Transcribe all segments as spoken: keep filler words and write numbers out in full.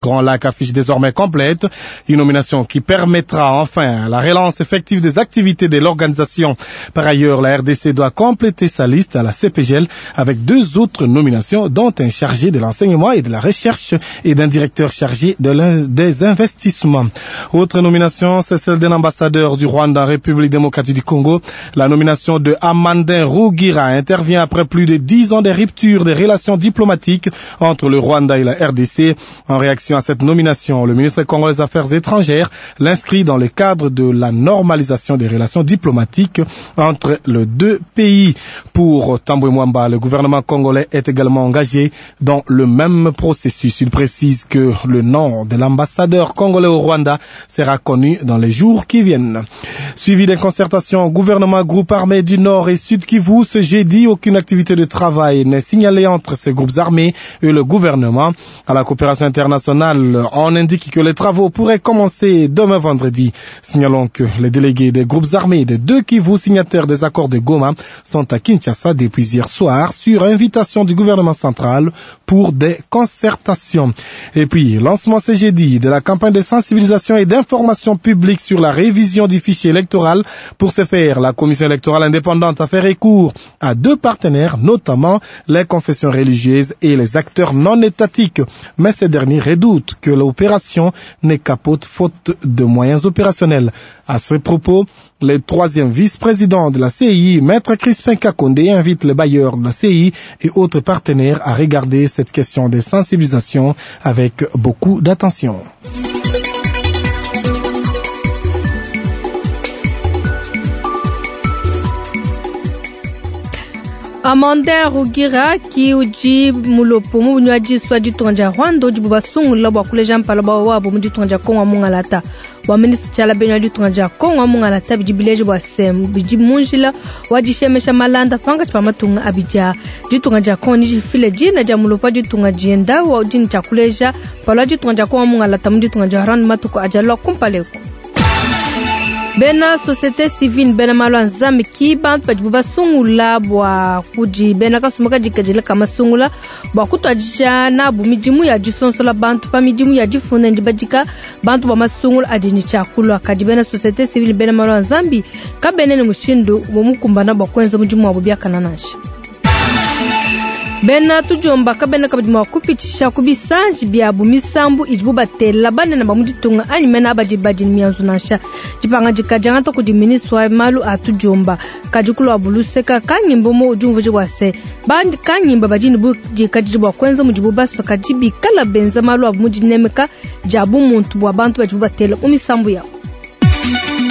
Grand Lac affiche désormais complète, une nomination qui permettra enfin la relance effective des activités de l'organisation. Par ailleurs, la R D C doit compléter sa liste à la C P G L avec deux autres nominations, dont un chargé de l'enseignement et de la recherche et d'un directeur chargé de l'in-, des investissements. Autre nomination, c'est celle d'un ambassadeur du Rwanda en République démocratique du Congo. La nomination de Amandin Rugira intervient après plus de dix ans de rupture des relations diplomatiques entre le Rwanda et la R D C. En réaction à cette nomination, le ministre congolais des Affaires étrangères l'inscrit dans le cadre de la normalisation des relations diplomatiques entre les deux pays. Pour Tambwe Mwamba, le gouvernement congolais est également engagé dans le même processus. Il précise que le nom de l'ambassadeur congolais au Rwanda sera connu dans les jours qui viennent. Suivi des concertations gouvernement, groupe armé du Nord et Sud Kivu, ce jeudi, aucune activité de travail n'est signalée entre ces groupes armés et le gouvernement. À la coopération internationale, on indique que les travaux pourraient commencer demain vendredi. Signalons que les délégués des groupes armés des deux Kivu signataires des accords de Goma sont à Kinshasa depuis hier soir sur invitation du gouvernement central pour des concertations. Et puis, lancement ce jeudi de la campagne de sensibilisation et d'information publique sur la révision du fichier électoral. Pour ce faire, la commission électorale indépendante a fait recours à deux partenaires, notamment les confessions religieuses et les acteurs non étatiques. Mais ces derniers redoutent que l'opération ne capote faute de moyens opérationnels. À ce propos, le troisième vice-président de la C I, Maître Crispin Kakonde, invite les bailleurs de la C I et autres partenaires à regarder cette question de sensibilisation avec beaucoup d'attention. Amanda Rugira ki uji mulopo mu bunywaji swa ditunga dia Rwanda udi bubasungula bua kuleja mpala bua wabo mu ditunga dia Kongo mungalata. Bua minisitiri tshiala benywa ditunga dia Kongo mungalata bidi bileje bua sem bidi munjila wa dishemesha malanda panga tshipa matunga abidia. Ditunga dia Kongo ni difile dina dia mulopo ditunga dienda wa dini tshia kuleja mpala wa ditunga dia Kongo mungalata mu ditunga dia Rwanda matuku ajalwa kumpaleko. Bena société civile bena malu a nzambi ki bantu badi basungula bua kudi bena kasumba kadikadila kamasungula bua kutuadija nabu midimu ya disonsola bantu pa midimu ya difunda ndi badika bantu ba masungula adi ni tshiakulua. Kadi bena société civile bena malu a nzambi kabene ne mushindu wa mukumbana bua kuenza mudimu wabo biakana nansha. Bena tujomba kabena kabidi mua kupitisha ku bisanji biabu misambu idibu batela banene ba mu ditunga anyi mena abadi badi mianzu nansha. Dipangadika diangata kudi ministre wa malu a tujomba. Kadi kulua buluseka kanyimba mo udi umvuija bua se, bandi kanyimba badi ne budikadidi bua kuenza mudibu basua, kadi bikala benza malu abu mu dinemeka dia bumuntu bua bantu badibu batela mu misambu yabo.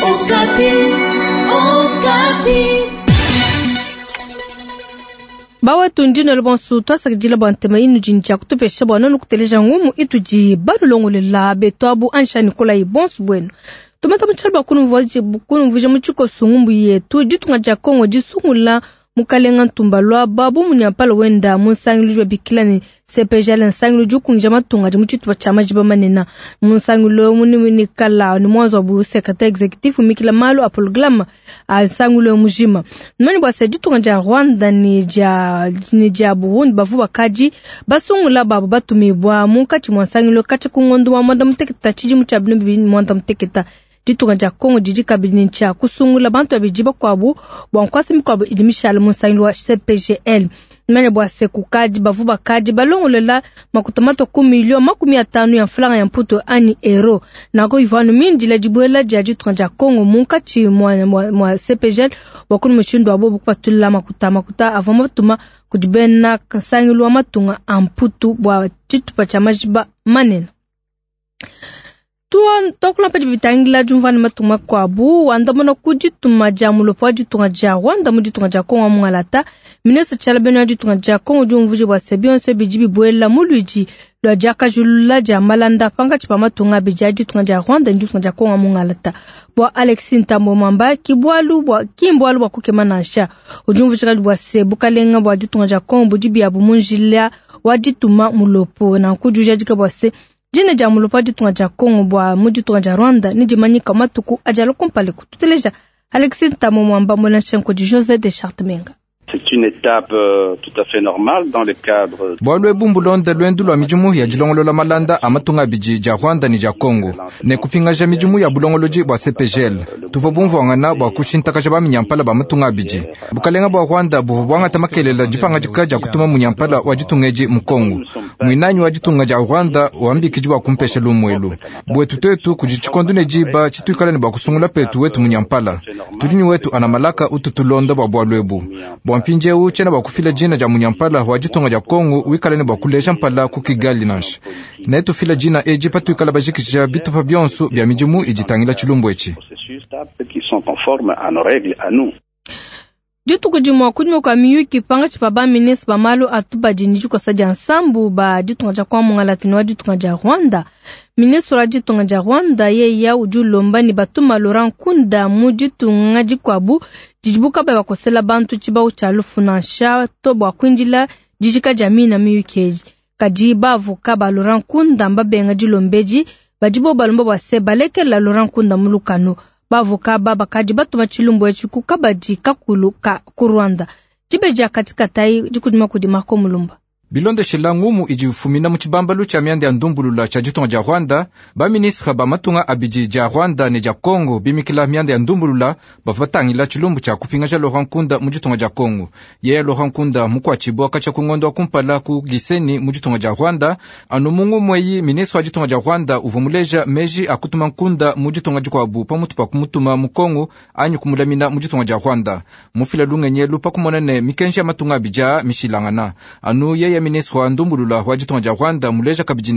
Okapi, Okapi. Bawa tundino le bonsu twasakidila bua ntema inu dini dia kutupesha bua nonu kuteleja ngumu itudi balulongolela beto abu ansha Nikolai bonsu bwenu. Tumata mutshalo bua kunumvuja, kunumvuja mu tshikoso ngumbu yetu ditunga dia Kongo disungula mukalenga ntumba lwa babu munyampala wenda mu nsangilu jwa bikila ni C P G L nsangilu ju kunja matunga di mu tshitupa tshia majiba manene. Mu nsangilu mu ni nikala ni mwanzo wa bu secrétaire exécutif mikila malu a programme a nsangilu mujima. Numani bua se ditunga dia Rwanda ni dia, ni dia Burundi bavu bakaji basungula babu batumibwa munkatshi mwa nsangilu katshi ku ngondo wa mwanda muteketa tshidimu tshia binu bibili mwanda muteketa. Ditunga dia Kongo didi kabidi ne tshia kusungula bantu babidi bakuabu bua nkuasa mikuabu idi mishale mu nsangilu wa C P G L. Manya bua se kukadi bavu bakadi balongolela makuta mato ku milio makumi atanu ya mfulanga ya mputo ani euro. Nako ivanu mindila dibuela dia ditunga dia Kongo munkatshi mwa, mwa, mwa C P G L bua kunu mushindu wa bobu kupatula makuta makuta avua matuma kudi bena nsangilu wa matunga a mputu bua tshitupa tshia majiba manene. Tuwa tokula pedi bitangila jumvana matunga kwabu wandamona ku ditunga dia mulopo wa ditunga dia Rwanda mu ditunga dia Kongo mungalata. Ministre Tshiala Beno wa ditunga dia Kongo diumvuije bua se bionso bidi bibuela mu luidi lua diakajulula dia malanda pankatshi pa matunga abidi a ditunga dia Rwanda ne ditunga dia Kongo mungalata. Bua Alexis Ntambwe Mwamba ki bualu bua ki mbualu bua kukema nansha. Udiumvuije kadi bua se bukalenga bua ditunga dia Kongo budi biabu mu njila wa dituma mulopo na nkujujadika bua se dina dia mulopo wa ditunga dia Kongo bua mu ditunga dia Rwanda ne dimanyika matuku adi alua kumpala kututeleja. Alexis Ntambwe Mwamba mwena nshenko di José de Chartmenga. C'est une étape euh, tout à fait normale dans le cadre. Bwalu ebu mbulonda lwendu lwa midimu ya dilongolola malanda a matunga abidi dia Rwanda ne dia Congo ne kupingaja midimu ya bulongolodi bua C P G L. Tuvua bumvuangana bua kushintakaja baminyampala ba matunga abidi. Bukalenga bua Rwanda buvua buangata makelela dipangadika dia kutuma munyampala wa ditunga edi mu Congo. Muinanyi wa ditunga dia Rwanda wambikidi bua kumpesha lumuelu. Bwetu tetu kudi tshikondo ne diba tshituikala ne bua kusungula petu wetu munyampala. Tudi ni wetu ana malaka ututulonda bua bualu ebu. Bua mpindieu tshiena bua kufila dina dia munyampala wa ditunga dia Congo wikala ne bua kuleja mpala ku Kigali nansha. Ne tufila dina edi patuikala bajikija bitupa bionso bia midimu iditangila tshilumbu etshi. Dituku dimue kunyima kua miyuki pangatshi pa ba ministre ba malu a tubadi ne dikosa dia nsambu ba ditunga dia kwa Mungalati ne wa ditunga dia Rwanda. Ministre wa ditunga dia Rwanda yeya udi ulomba ne batuma Laurent Nkunda mu ditunga dikuabu didibu kabayi bakosela bantu tshibawu tshia lufu nansha to bua kuindila dijika dia mina miyuki edi. Kadi baavoka ba Laurent Nkunda mbabenga dilomba edi badibo balomba bua se balekela Laurent Nkunda mu lukanu. Bavoka ba bakadi batuma tshilumbu etshi ku kabadi kakulu ka ku Rwanda. Dibeji dia katikati dikudima kudi Marco Mulumba. Bilondeshela ngumu idi ifumina mu tshibambalu tshia mianda ya ndumbulula tshia ditunga dia Rwanda, ba ministre ba matunga abidi dia Rwanda ne dia Congo bimikila mianda ya ndumbulula bavua batangila tshilumbu tshia kupingaja Laurent Nkunda mu ditunga dia Congo. Yeye Laurent Nkunda mukuatshibua katshia ku ngondo wa kumpala ku Gisenyi mu ditunga dia Rwanda, anu mu ngumu eyi ministre wa ditunga dia Rwanda uvua muleja meji a kutuma Nkunda mu ditunga dikuabu pamutu pa kumutuma mu Congo anyi kumulamina mu ditunga dia Rwanda. Mufila lungenyelu pa kumona ne mikenji ya matunga abidi aa mishilangana. Anu yeye ministre wa ndumbulula wa ditunga dia Rwanda muleja kabidi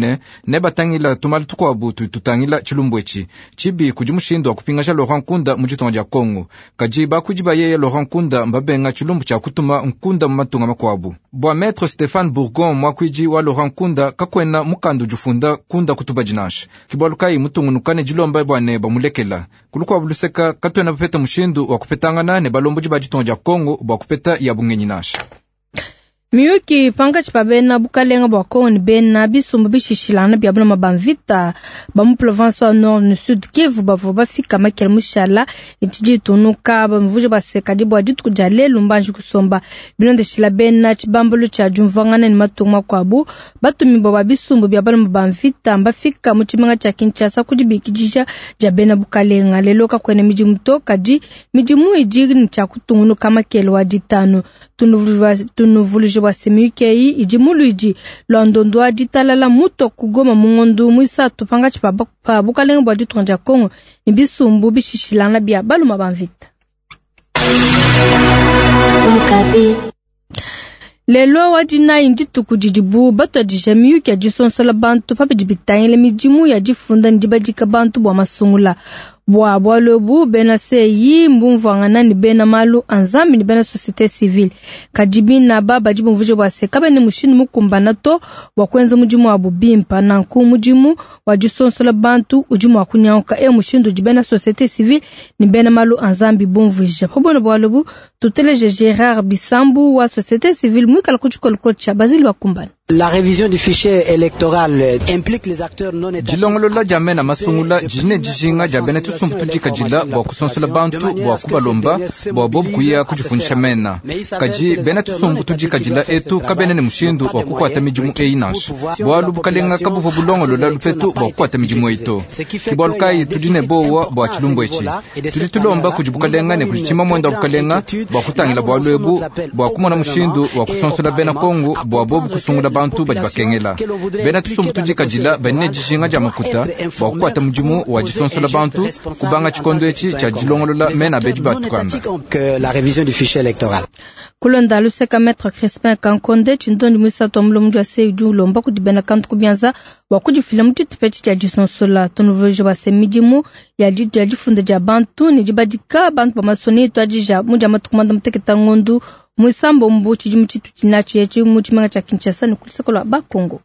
ne batangila tumalu tukuabu tutangila tshilumbu etshi. Tshibi kudi mushindu wa kupingaja Laurent Nkunda mu ditunga dia Congo. Kadi bakuidi ba yeye Laurent Nkunda mbabenga tshilumbu tshia kutuma Nkunda mu matunga makuabu. Bua Maître Stéphane Bourgon muakuidi wa Laurent Nkunda kakwena mukandu ujufunda Nkunda kutubadi nansha. Kibualu kayi mutungunuka ne dilomba bua ne bamulekela. Kulukuabu luseka katuena bapeta mushindu wa kupetangana ne balombodi ba ditunga dia Congo bua kupeta ya bungenyi nansha. Miyuki pangatshi pa bena bukalenga bua Kongo ne bena bisumbu bishishilana bia bulama ba mvita ba mu province wa Nord ne Sud Kivu bavua bafika makela mushala itshidi itunuka bamvuje basekadi bua dituku dia lelu mbanji kusomba bilondeshila bena tshibambalu tshia diumvuangana ne matunga makuabu batumibua ba bisumbu bia balama ba mvita mbafika mu tshimenga tshia Kinshasa ku dibikidisha dia bena bukalenga. Lelo kakuena midimu to kadi midimu idi ne tshia kutungunuka makela wa ditanu. Tunuvuluje bua semiyuki idi muluidi lwa ndondo wa ditalala muto kugoma mu ngondu muisatu pangatshi pa bukalenga bua ditunga dia Kongo ne bisumbu bishishilana bia baluma ba mvita. Lelo wa dinayi dituku didibu batuadija miyuki ya disonsola bantu pabidi bitangila midimu ya difunda ne dibadika bantu bua masungula. Bua bualu ebu bena C I mbumvuangana ne bena malu a Nzambi ne bena société civile. Kadi bina ba badi bumvuje bua se kabene mushindu mukumbana to bua kuenza mudimu wabu bimpa. Nanku mudimu wa disonsola bantu udi mua kunyanguka e mushindu udi bena société civile ne bena malu a Nzambi bumvuija. Pa buena bualu ebu tuteleje Gérard Bisambu wa société civile muikala ku tshikolokolo tshia Basile Bakumbana. La révision du fichier électoral implique les acteurs non étatiques. Dilongolola dia mena masungula dine dijinga dia bena tusumbu tudikadila bua kusonsola bantu bua kubalomba bua bobu kuya kudifundisha mena. Kadi bena tusumbu tudikadila etu kabena ne mushindu wa kukuata midimu eyi nansha. Bualu bukalenga kabuvua bulongolola lupetu bua kukuata midimu eyi to. Ke bualu kayi tudi ne bowa bua tshilumbu etshi. Tudi tulomba kudi bukalenga ne kudi tshima muenda wa bukalenga bua kutangila bualu ebu bua kumona mushindu wa kusonsola bena Kongo bua bobu kusungula bantu badi bakengela. Bena tusumbu tudikadila bane dijinga dia makuta bua kukuata mudimu wa disonsola bantu kubanga tshikondo etshi tshia dilongolola mena bedi batukanda. Kulonda luseka Maître Crispin Kankonde tshindondi muisatu wa mulongo wa C I udi ulomba kudi bena kantu kubianza bua kudifila mu tshitupa etshi tshia disonsola. Tunuvuje bua se midimu ya difunda dia bantu ne dibadika bantu ba masoni etuadija mu dia matuku muanda mutekete ngondu muisambombo tshidimu tshitu tshinatshi etshi mu tshimenga tshia Kinshasa ne ku luseke lua Bakongo.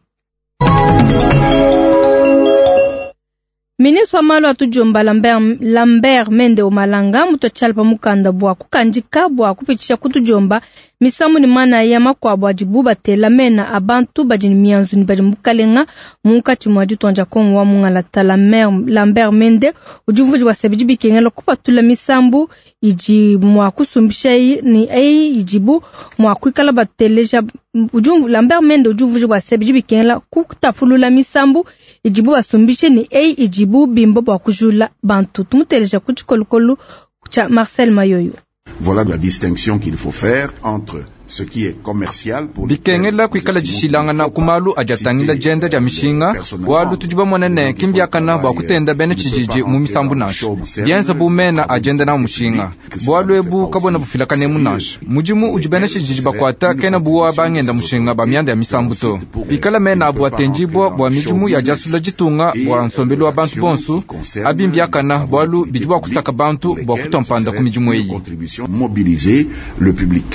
Ministre wa malu a tudiomba Lambert, Lambert Mende Omalanga mutua tshiala pa mukanda bua kukandika bua kupitshisha ku tudiomba misambu ne manaya makuabu adibu batela mena a bantu badi ne mianzu ne badi mu bukalenga munkatshi mua ditunga dia Kongo wa mungalata. Lambert Mende udi umvuija bua se bidi bikengela kupatula misambu idi mua kusumbisha ne eyi idibu mua kuikala bateleja. Udi Lambert Mende udi umvuija bua se bidi bikengela kutapulula misambu idibu basumbishe ne eyi idibu bimba bua kujula bantu. Tumuteleja ku tshikolokolo tshia Marcel Mayoyo. Voilà la distinction qu'il faut faire entre ce qui est commercial pour bikengela kuikala dishilangana ku malu adi atangila dienda dia mishinga bualu tudi bamone ne kimbiakana bua kutenda bena tshijiji mu misambu nansha bienza bu mena adienda na mushinga bualu ebu kabona bufilakanemu nansha mudimu udi bena tshijiji bakuata kena buwa bangenda mushinga ba mianda ya misambu to bikala mena abu atendibua bua midimu ya diasula ditunga bua nsombelu wa bantu bonsu abi mbiakana bualu bidi bua kusaka bantu bua kutompanda ku midimu eyi. Mobiliser le public.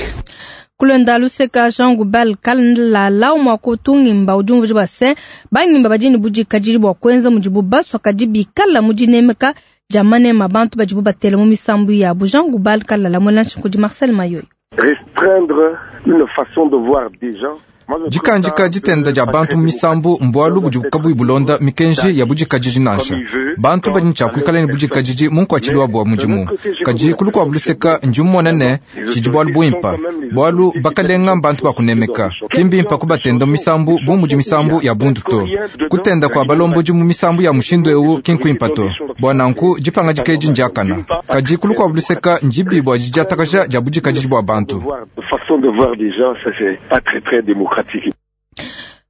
Kulonda luseka Jean Goubald Kalala umwa kutungimba udi umvuija bua se bangimba badi ne budikadidi bua kuenza mudibu basua kadi bikala mu dinemeka dia manema bantu badibu batela mu misambu yabu. Jean Goubald Kalala muela kudi Marcel Mayoyo. Restreindre une façon de voir des gens. Dikandika ditenda dia bantu mu misambu mbualu budi kabuyi bulonda mikenji ya budikadidi nansha bantu badi ne tshia kuikala ne budikadidi mu nkuatshilu wabu wa mudimu kadi ku lukuabu luseka ndi mmona ne tshidi bualu buimpa bualu bakalenga mbantu bakunemeka ki mbimpa kubatenda mu misambu bu mudi misambu ya bundu to kutenda kua balombodi mu misambu ya mushindu ewu ki nkuimpa to bua nanku dipangadika edi ndiakana kadi ku lukuabu luseka ndibi bua didiatakaja dia budikadidi bua bantu.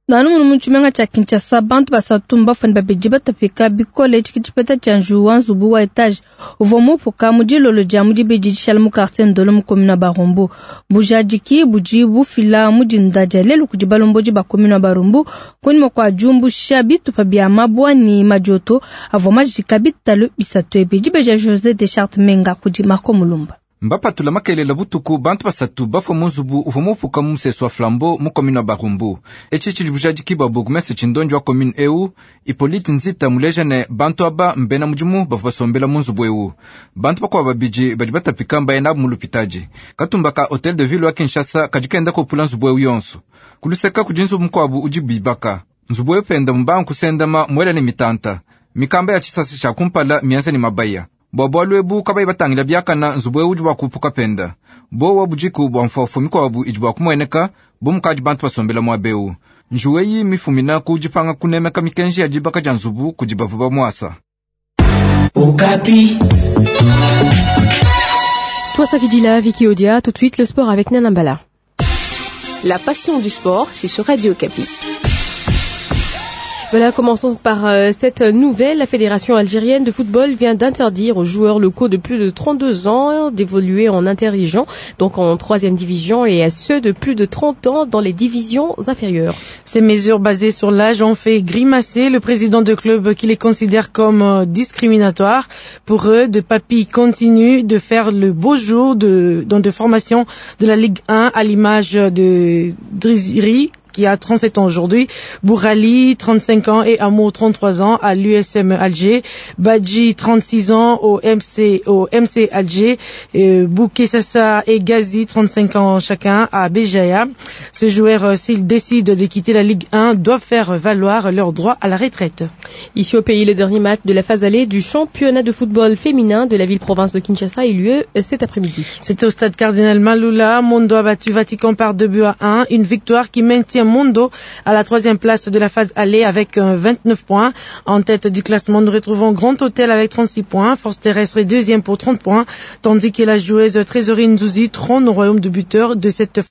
Nanu munu mu tshimenga tshia Kinshasa bantu basatu mbafane babidi batapika bikole tshiki tshipeta tshia njuwu wa nzubu wa etage uvua mupuka mu dilolo dia mu dibidi dishala mu quartier Ndolo mu commune wa Barumbu. Bujadiki budi bufila mu dinda dia lelu kudi balombodi ba commune wa Barumbu kunyima kua diumbusha bitupa bia mabua ne madioto avua majika bitalu bisatu ebi. Dibeja José Deschartes Menga kudi Marco Mulumba. Mbapatula makelela butuku bantu basatu bafua mu nzubu uvua mupuka mu musesu wa Flambeau mu commune wa Barumbu. Etshi tshidi bujadiki bua bourgmestre tshindonji wa commune eu Hippolyte Nzita muleja ne bantu aba mbena mudimu bavua basombela mu nzubu eu. Bantu bakuabu babidi badi batapika mbaye nabu mu lupitadi. Katumba ka Hotel de Ville wa Kinshasa kadi kenda kopula nzubu eu yonso. Kuluseka kudi nzubu mukuabu udi bibaka. Nzubu eu penda mbangu kusendama muela ne mitanta. Mikamba ya tshisasa tshia kumpala mienza ne mabaya. Bua bualu ebu kabayi batangila biakana nzubu eu udi bua kupuka penda. Bowa budiku bua mfuafu mikuabu idi bua kumueneka bu mukadi bantu basombela muaba eu. Njuwu eyi mifumina ku dipanga kunemeka mikenji ya dibaka dia nzubu kudi bavua bamuasa. Okapi. Twasakidila Vicky Odia, tout de suite le sport avec Nana Mbala. La passion du sport, c'est sur Radio Okapi. Voilà, commençons par euh, cette nouvelle. La Fédération algérienne de football vient d'interdire aux joueurs locaux de plus de trente-deux ans d'évoluer en interrégion, donc en troisième division, et à ceux de plus de trente ans dans les divisions inférieures. Ces mesures basées sur l'âge ont fait grimacer le président de club qui les considère comme euh, discriminatoires. Pour eux, de papy continue de faire le beau jour de, dans des formations de la Ligue un à l'image de Driziri, qui a trente-sept ans aujourd'hui, Bourali, trente-cinq ans, et Amo, trente-trois ans, à l'U S M Alger, Badji, trente-six ans, au M C, au M C Alger, euh, Bouké-Sassa et Gazi, trente-cinq ans chacun, à Béjaïa. Ces joueurs, s'ils décident de quitter la Ligue un, doivent faire valoir leur droit à la retraite. Ici au pays, le dernier match de la phase aller du championnat de football féminin de la ville-province de Kinshasa a eu lieu cet après-midi. C'est au stade Cardinal Malula. Mondo a battu Vatican par deux buts à un, une victoire qui maintient Mondo à la troisième place de la phase aller avec vingt-neuf points. En tête du classement, nous retrouvons Grand Hôtel avec trente-six points. Force Terrestre est deuxième pour trente points, tandis que la joueuse Trésorerie Nzouzi trône au royaume de buteurs de cette